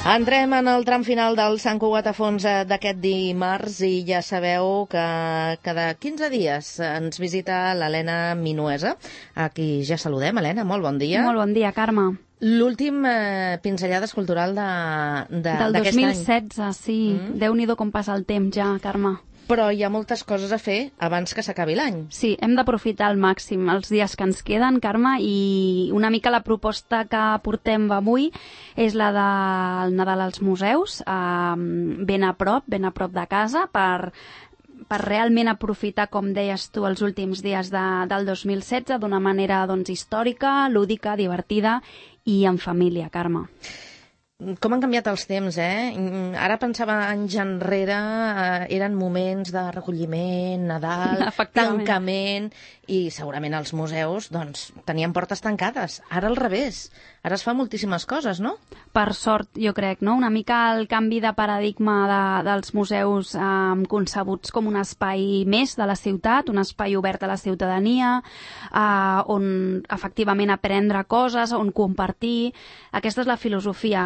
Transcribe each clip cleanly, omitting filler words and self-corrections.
Entrem en el tram final del Sant Cugat a fons d'aquest dimarts i ja sabeu que cada 15 dies ens visita l'Helena Minuesa. Aquí ja saludem. Helena, molt bon dia. Molt bon dia, Carme. L'últim pinzellades cultural del 2016, sí. Déu-n'hi-do com passa el temps ja, Carme. Però hi ha moltes coses a fer abans que s'acabi l'any. Sí, hem d'aprofitar al màxim els dies que ens queden, Carme, i una mica la proposta que portem avui és la del Nadal als museus, ben a prop de casa, per realment aprofitar, com deies tu, els últims dies del 2016 d'una manera històrica, lúdica, divertida i en família, Carme. Com han canviat els temps, Ara pensava anys enrere, eren moments de recolliment, Nadal, tancament, i segurament els museus tenien portes tancades. Ara al revés, ara es fa moltíssimes coses, no? Per sort, jo crec, no? Una mica el canvi de paradigma dels museus concebuts com un espai més de la ciutat, un espai obert a la ciutadania, on efectivament aprendre coses, on compartir. Aquesta és la filosofia,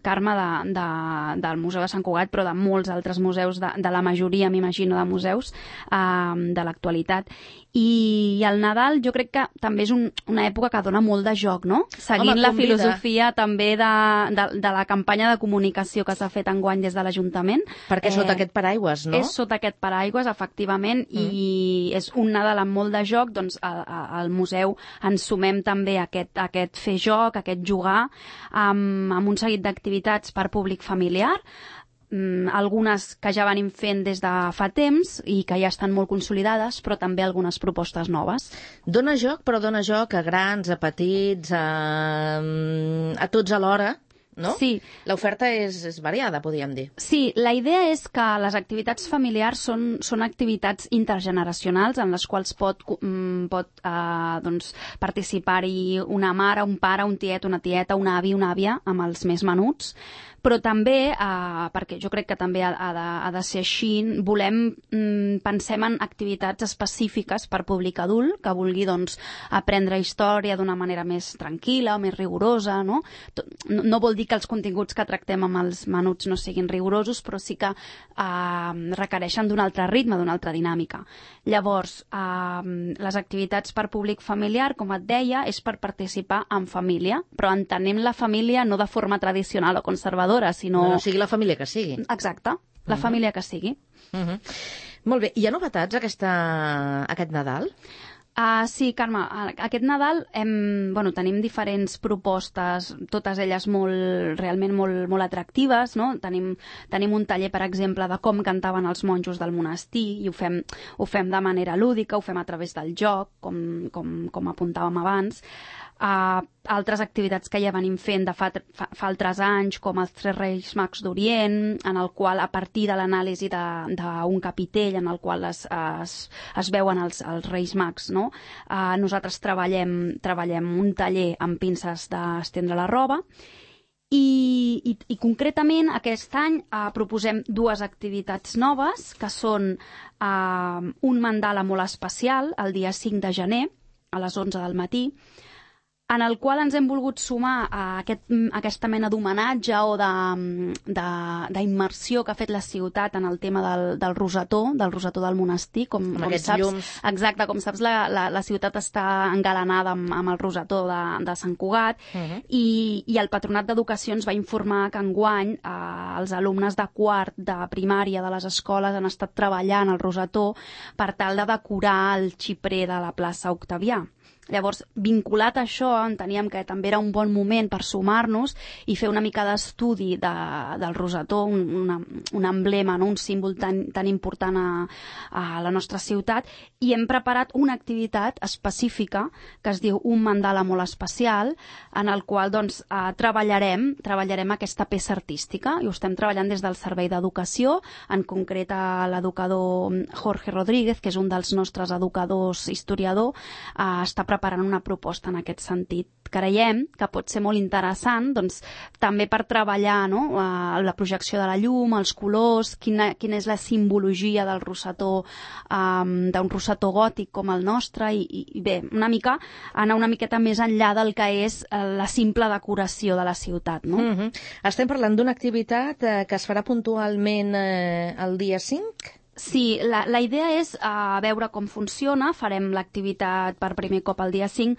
Carme, del Museu de Sant Cugat, però de molts altres museus, de la majoria, m'imagino, de museus de l'actualitat. I el Nadal jo crec que també és una època que dona molt de joc, no? Seguint la filosofia també de la campanya de comunicació que s'ha fet enguany des de l'Ajuntament. Perquè sota aquest paraigües, no? És sota aquest paraigües, efectivament, i és un Nadal amb molt de joc, doncs al museu ens sumem també a aquest fer joc, a aquest jugar, amb un seguit d'activitats per públic familiar, algunes que ja venim fent des de fa temps i que ja estan molt consolidades, però també algunes propostes noves. Dóna joc, però dóna joc a grans, a petits, a tots alhora, no? Sí. L'oferta és variada, podríem dir. Sí, la idea és que les activitats familiars són activitats intergeneracionals en les quals pot participar-hi una mare, un pare, un tiet, una tieta, un avi, una àvia, amb els més menuts. Però també, perquè jo crec que també ha de ser així, pensem en activitats específiques per públic adult, que vulgui aprendre història d'una manera més tranquil·la o més rigorosa, no? No vol dir que els continguts que tractem amb els menuts no siguin rigorosos, però sí que requereixen d'un altre ritme, d'una altra dinàmica. Llavors, les activitats per públic familiar, com et deia, és per participar en família, però entenem la família no de forma tradicional o conservadora, sinó... No sigui la família que sigui. Exacte, la família que sigui. Molt bé, hi ha novetats aquest Nadal? Sí, Carme, aquest Nadal tenim diferents propostes, totes elles realment molt atractives, no? Tenim un taller, per exemple, de com cantaven els monjos del monestir, i ho fem de manera lúdica, ho fem a través del joc, com apuntàvem abans. Altres activitats que ja venim fent de fa altres anys, com els Tres Reis Mags d'Orient, en el qual, a partir de l'anàlisi d'un capitell en el qual es veuen els Reis Mags, no? Nosaltres treballem un taller amb pinces d'estendre la roba, i concretament aquest any proposem dues activitats noves, que són un mandala molt especial, el dia 5 de gener, a les 11 del matí, en el qual ens hem volgut sumar a aquesta mena d'homenatge o d'immersió que ha fet la ciutat en el tema del rosetó del monestir. Com aquests saps, llums. Exacte, com saps, la ciutat està engalanada amb el rosetó de Sant Cugat, i el Patronat d'Educació ens va informar que enguany els alumnes de quart de primària de les escoles han estat treballant el rosetó per tal de decorar el xiprer de la plaça Octavià. Llavors, vinculat a això, enteníem que també era un bon moment per sumar-nos i fer una mica d'estudi del rosetó, un emblema, no? Un símbol tan important a la nostra ciutat, i hem preparat una activitat específica que es diu Un mandala molt especial, en el qual treballarem aquesta peça artística, i ho estem treballant des del Servei d'Educació, en concret a l'educador Jorge Rodríguez, que és un dels nostres educadors historiador, està preparant preparant una proposta en aquest sentit. Creiem que pot ser molt interessant, doncs, també per treballar, no?, la projecció de la llum, els colors, quina és la simbologia del rosetó, d'un rosetó gòtic com el nostre, i bé, anar una miqueta més enllà del que és la simple decoració de la ciutat, no? Estem parlant d'una activitat que es farà puntualment el dia 5? Sí, la idea és veure com funciona, farem l'activitat per primer cop el dia 5,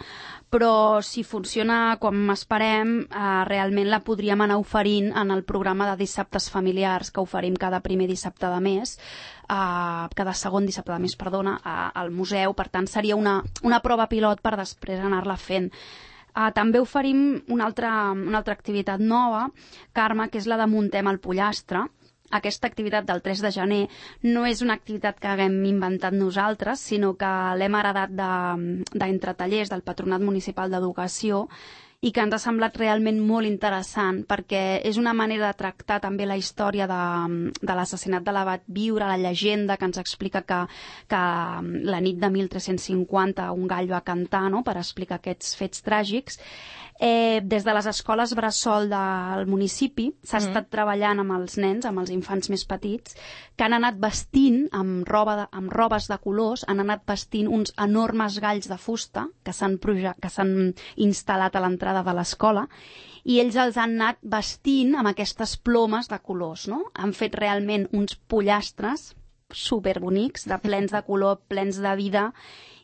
però si funciona com esperem, realment la podríem anar oferint en el programa de dissabtes familiars que oferim cada primer dissabte de mes, cada segon dissabte de mes, perdona, al museu. Per tant, seria una prova pilot per després anar-la fent. També oferim una altra activitat nova, Carme, que és la de Muntem el Pollastre. Aquesta activitat del 3 de gener no és una activitat que haguem inventat nosaltres, sinó que l'hem heredat d'Entre Tallers, del Patronat Municipal d'Educació, i que ens ha semblat realment molt interessant perquè és una manera de tractar també la història de l'assassinat de l'abat Viure, la llegenda que ens explica que la nit de 1350 un gall va cantar, no?, per explicar aquests fets tràgics. Des de les escoles bressol del municipi s'ha estat treballant amb els nens, amb els infants més petits, que han anat vestint amb robes de colors, han anat vestint uns enormes galls de fusta que s'han instal·lat a l'entrada de l'escola, i ells els han anat vestint amb aquestes plomes de colors, no? Han fet realment uns pollastres superbonics, plens de color, plens de vida,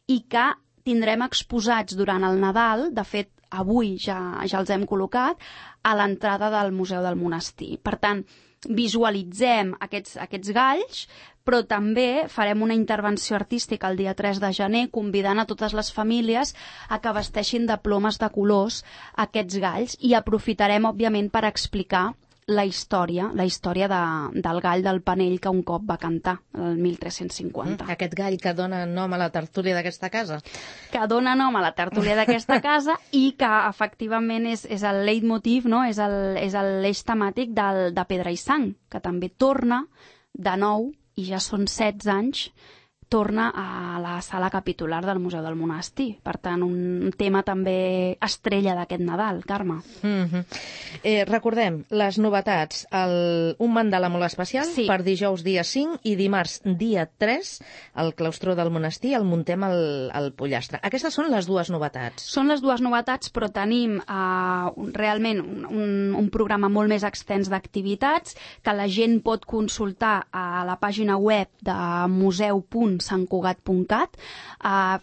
i que tindrem exposats durant el Nadal. De fet, avui ja els hem col·locat a l'entrada del Museu del Monestir. Per tant, visualitzem aquests galls, però també farem una intervenció artística el dia 3 de gener convidant a totes les famílies a que vesteixin de plomes de colors aquests galls, i aprofitarem, òbviament, per explicar la història del gall del Panell que un cop va cantar, el 1350. Aquest gall que dona nom a la tertúlia d'aquesta casa. Que dona nom a la tertúlia d'aquesta casa i que, efectivament, és el leitmotiv, no?, és l'eix temàtic de Pedra i Sang, que també torna de nou, i ja són 16 anys, torna a la sala capitular del Museu del Monestir. Per tant, un tema també estrella d'aquest Nadal, Carme. Recordem les novetats. Un mandala molt especial per dijous dia 5 i dimarts dia 3 al claustró del Monestir, el Muntem el Pollastre. Aquestes són les dues novetats. Són les dues novetats, però tenim realment un programa molt més extens d'activitats que la gent pot consultar a la pàgina web de museu.santcugat.cat.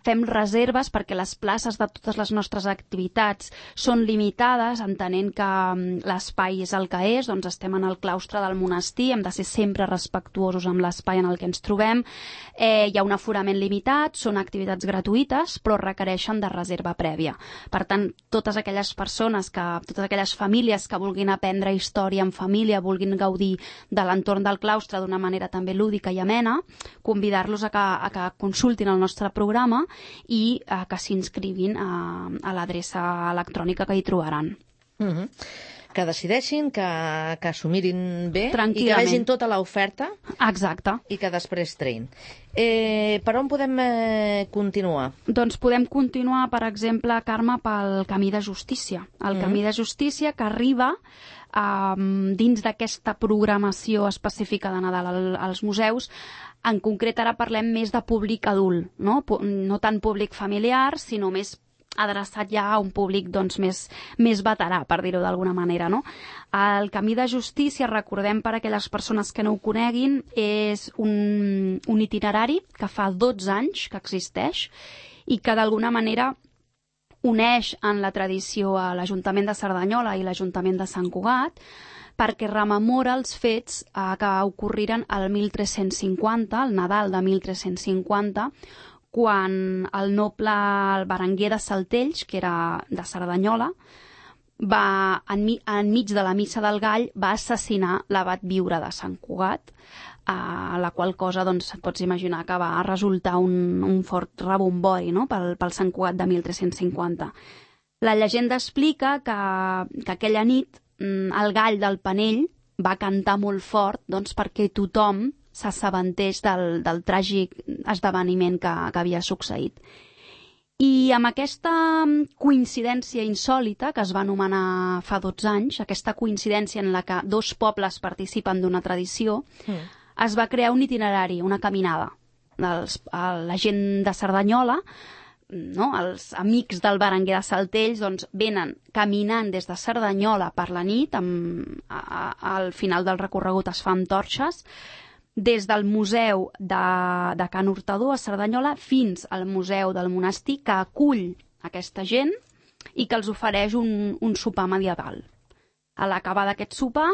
Fem reserves perquè les places de totes les nostres activitats són limitades, entenent que l'espai és el que és, doncs estem en el claustre del monestir, hem de ser sempre respectuosos amb l'espai en el que ens trobem. Hi ha un aforament limitat, són activitats gratuïtes, però requereixen de reserva prèvia. Per tant, totes aquelles famílies que vulguin aprendre història en família, vulguin gaudir de l'entorn del claustre d'una manera també lúdica i amena, convidar-los a que consultin el nostre programa i que s'inscrivin a l'adreça electrònica que hi trobaran. Que decideixin, que s'ho mirin bé i que vegin tota l'oferta. Exacte. I que després trein. Per on podem continuar? Doncs podem continuar, per exemple, Carme, pel Camí de Justícia. El Camí de Justícia que arriba dins d'aquesta programació específica de Nadal als museus. En concret, ara parlem més de públic adult, no tant públic familiar, sinó més adreçat ja a un públic més veterà, per dir-ho d'alguna manera, no? El Camí de Justícia, recordem per a aquelles persones que no ho coneguin, és un itinerari que fa 12 anys que existeix i que d'alguna manera uneix en la tradició a l'Ajuntament de Cerdanyola i l'Ajuntament de Sant Cugat, perquè rememora els fets que ocorriren el 1350, el Nadal de 1350, quan el noble Berenguer de Saltells, que era de Cerdanyola, enmig de la Missa del Gall, va assassinar l'abat Viure de Sant Cugat, la qual cosa, doncs, pots imaginar que va resultar un fort rebombori, no?, pel Sant Cugat de 1350. La llegenda explica que aquella nit el gall del Panell va cantar molt fort, doncs, perquè tothom s'assabentés del tràgic esdeveniment que havia succeït. I amb aquesta coincidència insòlita, que es va anomenar fa 12 anys, aquesta coincidència en la que dos pobles participen d'una tradició, es va crear un itinerari, una caminada. La gent de Cerdanyola, no? Els amics del Berenguer de Saltells, doncs, venen caminant des de Cerdanyola per la nit, al final del recorregut es fa amb torxes, des del museu de Can Hurtador a Cerdanyola fins al museu del monestir, que acull aquesta gent i que els ofereix un sopar medieval. A l'acabar d'aquest sopar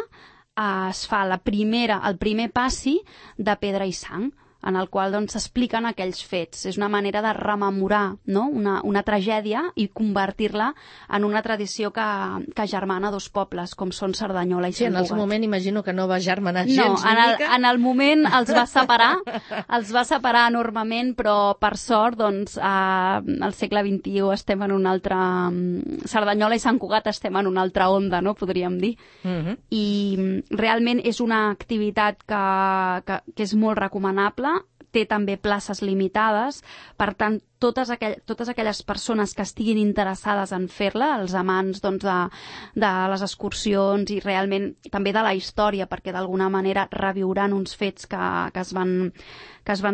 es fa el primer passi de pedra i sang, en el qual s'expliquen aquells fets. És una manera de rememorar, no? una tragèdia i convertir-la en una tradició que germana dos pobles, com són Cerdanyola i Sant Cugat. Sí, en el seu moment imagino que no va germanar gens ni mica. En el moment els va separar enormement, però per sort, al segle XXI estem en un altre... Cerdanyola i Sant Cugat estem en una altra onda, no? Podríem dir. I realment és una activitat que és molt recomanable, té també places limitades, per tant, totes aquelles persones que estiguin interessades en fer-la, els amants de les excursions i realment també de la història, perquè d'alguna manera reviuran uns fets que es van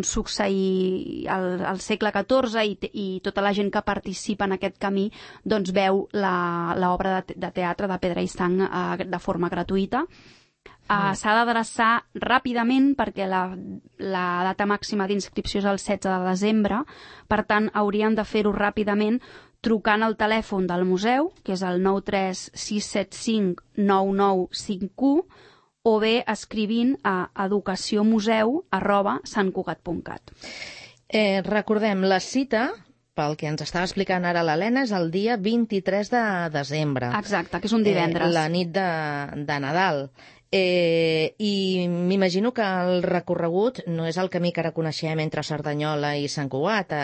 succeir al segle XIV i tota la gent que participa en aquest camí doncs veu l'obra de teatre de Pedra i Sang de forma gratuïta. S'ha d'adreçar ràpidament perquè la data màxima d'inscripció és el 16 de desembre, per tant haurien de fer-ho ràpidament trucant al telèfon del museu, que és el 936759951, o bé escrivint a educaciomuseu@santcugat.cat. Recordem, la cita, pel que ens estava explicant ara l'Helena, és el dia 23 de desembre. Exacte, que és un divendres. La nit de Nadal. I m'imagino que el recorregut no és el camí que ara coneixem entre Cerdanyola i Sant Cugat,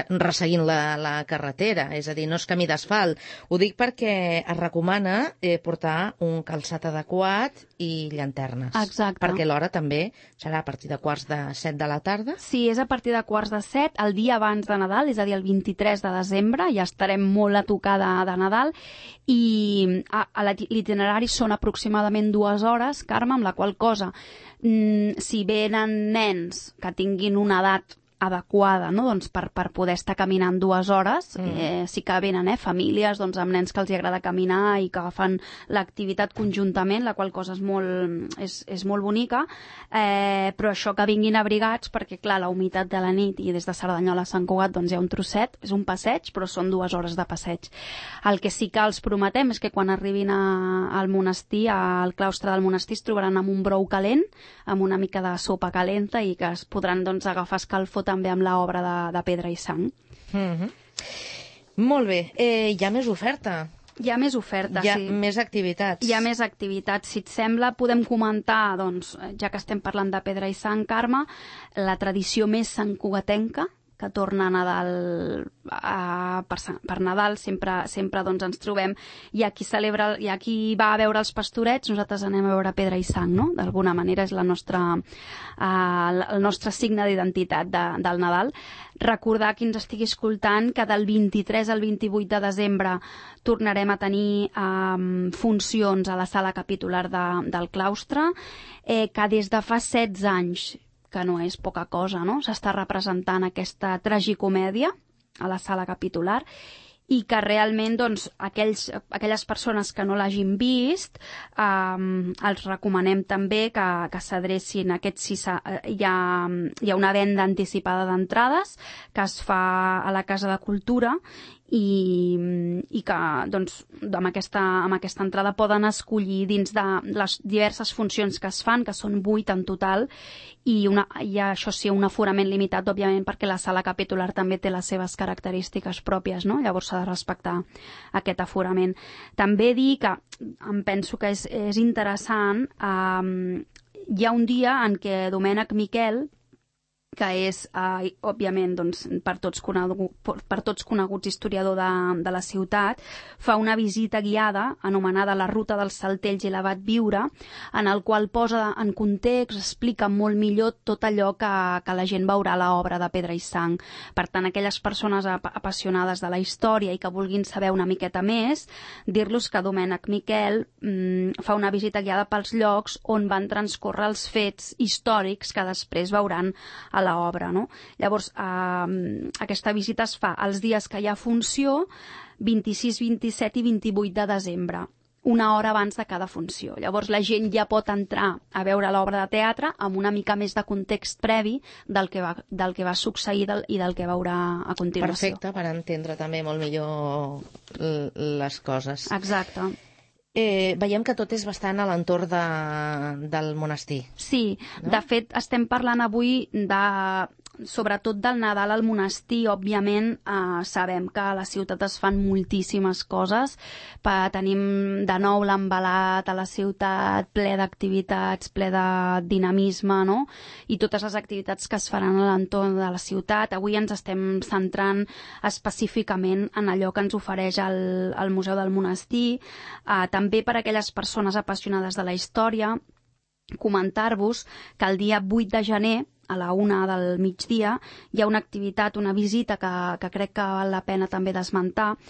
resseguint la carretera, és a dir, no és camí d'asfalt. Ho dic perquè es recomana portar un calçat adequat i llanternes. Exacte. Perquè l'hora també serà a partir de 6:45 de la tarda. Sí, és a partir de 6:45, el dia abans de Nadal, és a dir, el 23 de desembre, ja estarem molt a tocar de Nadal, i l'itinerari són aproximadament 2 hores, Carme, amb la qual cosa, si venen nens que tinguin una edat adequada, no? Doncs per poder estar caminant 2 hores, sí que venen famílies amb nens que els agrada caminar i que fan l'activitat conjuntament, la qual cosa és molt bonica, però això que vinguin abrigats, perquè clar, la humitat de la nit i des de Cerdanyola a Sant Cugat hi ha un trosset, és un passeig, però són 2 hores de passeig. El que sí que els prometem és que quan arribin al monestir, al claustre del monestir, es trobaran amb un brou calent, amb una mica de sopa calenta i que es podran agafar escalfor també amb l'obra de Pedra i Sang. Molt bé. Hi ha més oferta? Hi ha més oferta, sí. Hi ha més activitats. Hi ha més activitats. Si et sembla, podem comentar, ja que estem parlant de Pedra i Sang, Carme, la tradició més santcugatenca, que torna a Nadal, per Nadal sempre ens trobem, i a qui va a veure els pastorets, nosaltres anem a veure Pedra i Sang, no? D'alguna manera és el nostre signe d'identitat del Nadal. Recordar qui ens estigui escoltant que del 23 al 28 de desembre tornarem a tenir funcions a la sala capitular del claustre, que des de fa 16 anys, que no és poca cosa, no? S'està representant aquesta tragicomèdia a la sala capitular i que realment aquelles persones que no l'hagin vist els recomanem també que s'adrecin a hi ha una venda anticipada d'entrades que es fa a la Casa de Cultura i que amb aquesta entrada poden escollir dins de les diverses funcions que es fan, que són 8 en total, i això sí, un aforament limitat, òbviament, perquè la sala capitular també té les seves característiques pròpies, no? Llavors s'ha de respectar aquest aforament. També dir que em penso que és interessant, hi ha un dia en què Domènec Miquel que és, òbviament, doncs, per tots coneguts historiador de la ciutat, fa una visita guiada anomenada La ruta dels Saltells i l'Abat Viure, en el qual posa en context, explica molt millor tot allò que la gent veurà a l'obra de Pedra i Sang. Per tant, aquelles persones apassionades de la història i que vulguin saber una miqueta més, dir-los que Domènec Miquel fa una visita guiada pels llocs on van transcórrer els fets històrics que després veuran a l'obra, no? Llavors, aquesta visita es fa els dies que hi ha funció, 26, 27 i 28 de desembre, una hora abans de cada funció. Llavors, la gent ja pot entrar a veure l'obra de teatre amb una mica més de context previ del que va succeir i del que veurà a continuació. Perfecte, per entendre també molt millor les coses. Exacte. Veiem que tot és bastant a l'entorn del monestir. Sí, no? De fet, estem parlant avui sobretot del Nadal al monestir. Òbviament, sabem que a la ciutat es fan moltíssimes coses. Tenim de nou l'envelat a la ciutat, ple d'activitats, ple de dinamisme, no? I totes les activitats que es faran a l'entorn de la ciutat. Avui ens estem centrant específicament en allò que ens ofereix el Museu del Monestir. També per a aquelles persones apassionades de la història, comentar-vos que el dia 8 de gener, a la 1 del migdia, hi ha una activitat, una visita que crec que val la pena també d'esmentar,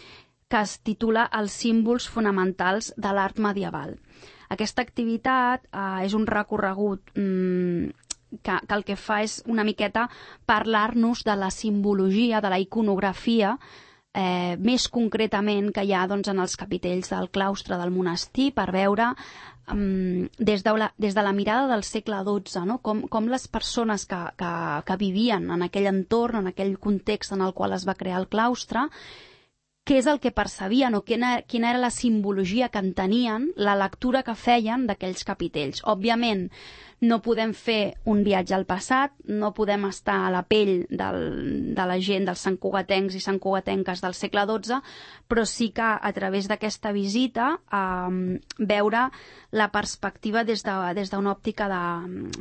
que es titula Els símbols fonamentals de l'art medieval. Aquesta activitat és un recorregut que el que fa és una miqueta parlar-nos de la simbologia, de la iconografia, més concretament que hi ha doncs, en els capitells del claustre del monestir, per veure des de la mirada del segle XII, no? com les persones que vivien en aquell entorn, en aquell context en el qual es va crear el claustre, què és el que percebien o quina era la simbologia que en tenien, la lectura que feien d'aquells capitells. Òbviament, no podem fer un viatge al passat, no podem estar a la pell de la gent, dels santcugatencs i santcugatenques del segle XII, però sí que a través d'aquesta visita veure la perspectiva des d'una òptica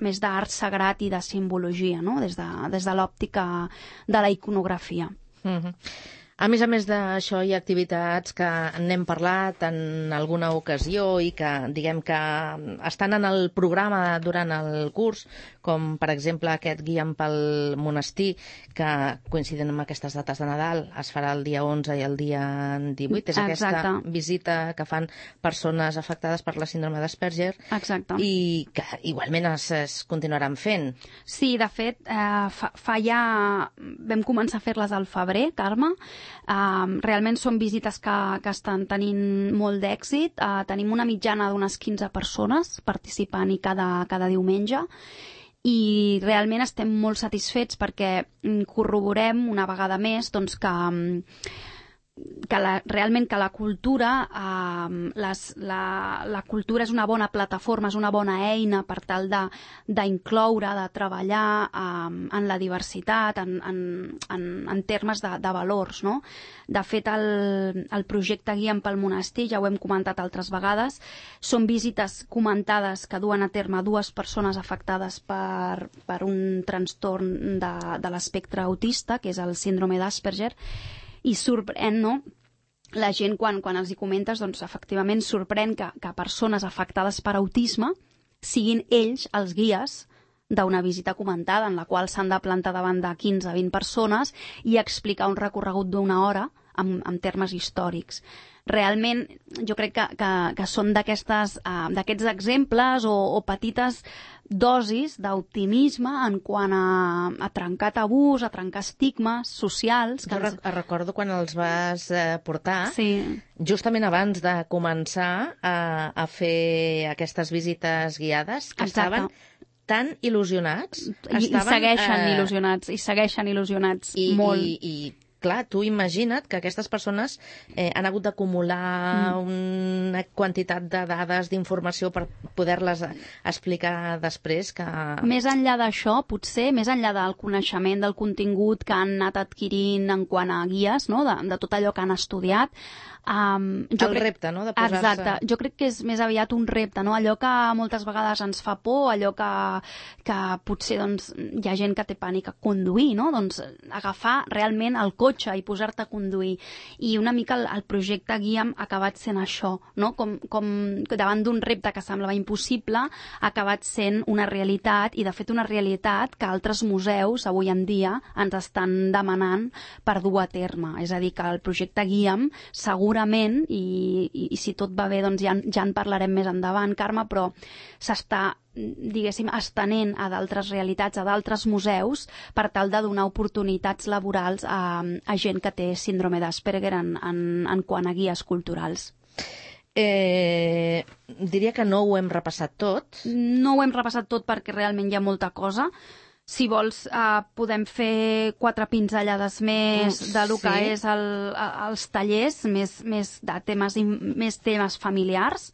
més d'art sagrat i de simbologia, no? Des de l'òptica de la iconografia. A més d'això, hi ha activitats que n'hem parlat en alguna ocasió i que, diguem que estan en el programa durant el curs, com per exemple aquest Guia'm pel monestir, que coincidint amb aquestes dates de Nadal, es farà el dia 11 i el dia 18. És aquesta visita que fan persones afectades per la síndrome d'Asperger. Exacte. I que igualment es continuaran fent. Sí, de fet, vam començar a fer-les al febrer, Carme. Realment són visites que estan tenint molt d'èxit. Tenim una mitjana d'unes 15 persones participant-hi cada diumenge i realment estem molt satisfets perquè corroborem una vegada més doncs, realment que la cultura la cultura és una bona plataforma, és una bona eina per tal d'incloure, de treballar en la diversitat, en termes de valors, no? De fet, el projecte Guia'm pel monestir, ja ho hem comentat altres vegades, són visites comentades que duen a terme 2 persones afectades per un trastorn de l'espectre autista, que és el síndrome d'Asperger, i sorprèn, no? La gent, quan els hi comentes, doncs efectivament sorprèn que persones afectades per autisme siguin ells els guies d'una visita comentada en la qual s'han de plantar davant de 15-20 persones i explicar un recorregut d'una hora en termes històrics. Realment, jo crec que són d'aquests exemples o petites dosis d'optimisme en quant a trencar tabús, a trencar estigmes socials. Jo recordo quan els vas portar, sí, justament abans de començar a fer aquestes visites guiades, que estaven tan il·lusionats. I segueixen il·lusionats, molt. I clar, tu imagina't que aquestes persones han hagut d'acumular una quantitat de dades, d'informació per poder-les explicar després. Més enllà d'això, potser, més enllà del coneixement del contingut que han anat adquirint en quant a guies, no? de tot allò que han estudiat, repte, no?, de posar-se... Exacte, jo crec que és més aviat un repte, no? Allò que moltes vegades ens fa por, allò que potser doncs, hi ha gent que té pànic a conduir, no? Doncs agafar realment el cotxe i posar-te a conduir. I una mica el projecte Guia'm ha acabat sent això, no? Com davant d'un repte que semblava impossible, ha acabat sent una realitat, i de fet una realitat que altres museus avui en dia ens estan demanant per dur a terme. És a dir, que el projecte Guia'm segurament, i si tot va bé doncs ja en parlarem més endavant, Carme, però s'està, diguéssim, estenent a d'altres realitats, a d'altres museus, per tal de donar oportunitats laborals a gent que té síndrome d'Asperger en quant a guies culturals. Diria que no ho hem repassat tot. No ho hem repassat tot perquè realment hi ha molta cosa. Si vols, podem fer 4 pinzellades més del que és els tallers, més de temes familiars.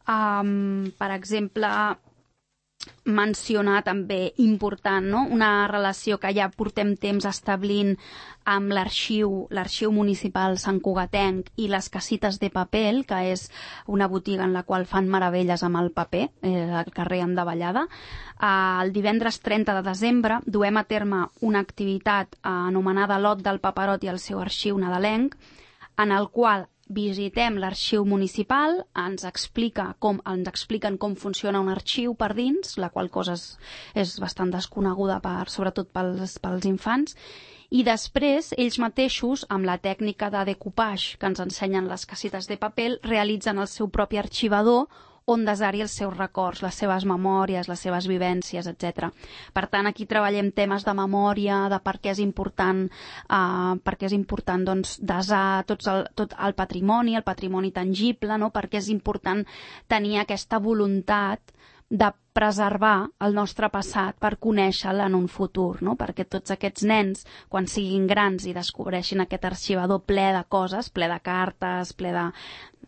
Per exemple, mencionar també important, no? Una relació que ja portem temps establint amb l'arxiu municipal santcugatenc i les casites de paper, que és una botiga en la qual fan meravelles amb el paper, al carrer Andavallada. El divendres 30 de desembre duem a terme una activitat anomenada Lot del Paperot i el seu arxiu nadalenc, en el qual visitem l'arxiu municipal, ens expliquen com funciona un arxiu per dins, la qual cosa és bastant desconeguda sobretot pels infants, i després ells mateixos, amb la tècnica de decoupage que ens ensenyen les casites de paper, realitzen el seu propi arxivador on desar-hi els seus records, les seves memòries, les seves vivències, etc. Per tant, aquí treballem temes de memòria, de per què és important, doncs, desar tot el patrimoni tangible, no? Per què és important tenir aquesta voluntat de preservar el nostre passat per conèixer-lo en un futur, no? Perquè tots aquests nens, quan siguin grans i descobreixin aquest arxivador ple de coses, ple de cartes, ple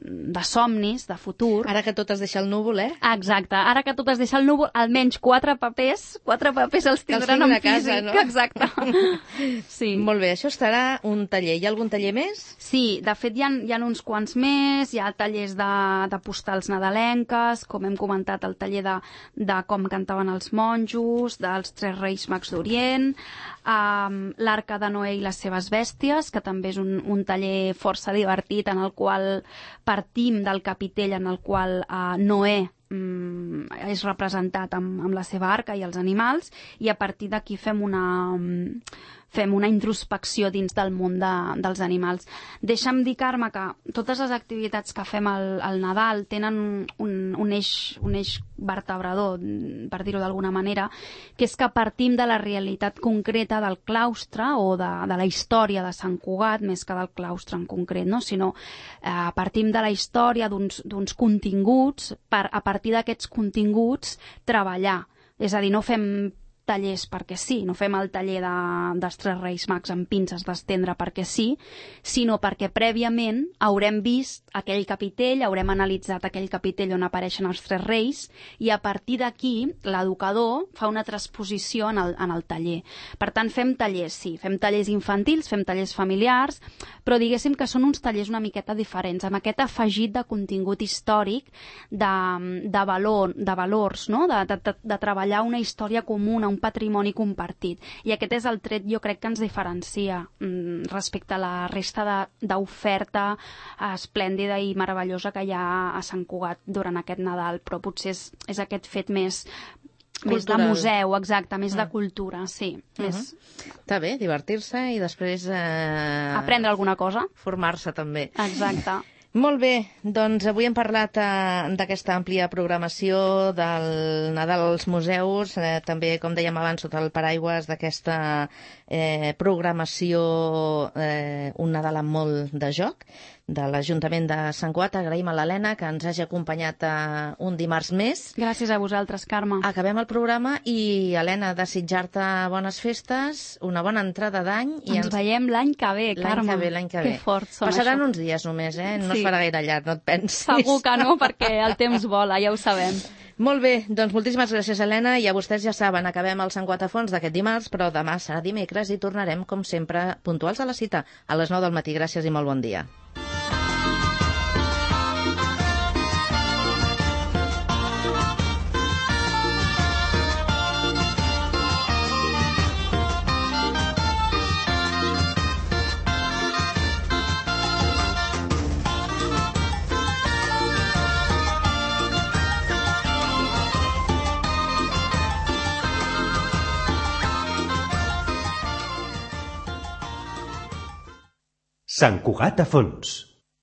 de somnis, de futur... Ara que tot es deixa al núvol, Exacte, ara que tot es deixa al núvol, almenys 4 papers els tindran en físic. No? Exacte. Sí. Molt bé, això estarà un taller. Hi ha algun taller més? Sí, de fet hi ha uns quants més, hi ha tallers de postals nadalenques, com hem comentat, el taller de com cantaven els monjos, dels 3 Reis Mags d'Orient, l'Arca de Noé i les seves bèsties, que també és un taller força divertit en el qual partim del capitell en el qual Noé és representat amb la seva arca i els animals, i a partir d'aquí fem una introspecció dins del món dels animals. Deixa'm dir, Carme, que totes les activitats que fem al Nadal tenen un eix vertebrador, per dir-ho d'alguna manera, que és que partim de la realitat concreta del claustre o de la història de Sant Cugat, més que del claustre en concret, no? Sinó partim de la història d'uns continguts per, a partir d'aquests continguts, treballar. És a dir, no fem tallers perquè sí, no fem el taller dels 3 Reis Mags amb pinces d'estendre perquè sí, sinó perquè prèviament haurem vist aquell capitell, haurem analitzat aquell capitell on apareixen els 3 reis, i a partir d'aquí l'educador fa una transposició en el taller. Per tant, fem tallers, sí, fem tallers infantils, fem tallers familiars, però diguéssim que són uns tallers una miqueta diferents, amb aquest afegit de contingut històric, de valors, no? de treballar una història comuna, un patrimoni compartit. I aquest és el tret, jo crec, que ens diferencia respecte a la resta d'oferta esplèndida i meravellosa que hi ha a Sant Cugat durant aquest Nadal, però potser és aquest fet més de museu, exacte, més de cultura, sí. Està bé, divertir-se i després... aprendre alguna cosa. Formar-se també. Exacte. Molt bé, doncs avui hem parlat d'aquesta àmplia programació del Nadal als museus, també, com dèiem abans, sota el paraigües d'aquesta programació Un Nadal amb molt de joc. de l'Ajuntament de Sant Cugat. Agraïm a l'Helena que ens hagi acompanyat un dimarts més. Gràcies a vosaltres, Carme. Acabem el programa i, Helena, desitjar-te bones festes, una bona entrada d'any. Ens veiem l'any que ve, Carme. L'any que ve. Que fort són Passaran això. uns dies només, no es farà gaire llarg, no et pensis. Segur que no, perquè el temps vola, ja ho sabem. Molt bé, doncs moltíssimes gràcies, Helena, i a vostès ja saben, acabem el Sant Cugat a fons d'aquest dimarts, però demà serà dimecres i tornarem, com sempre, puntuals a la cita, a les 9 del matí. Gràcies i molt bon dia. Sant Cugat a fons.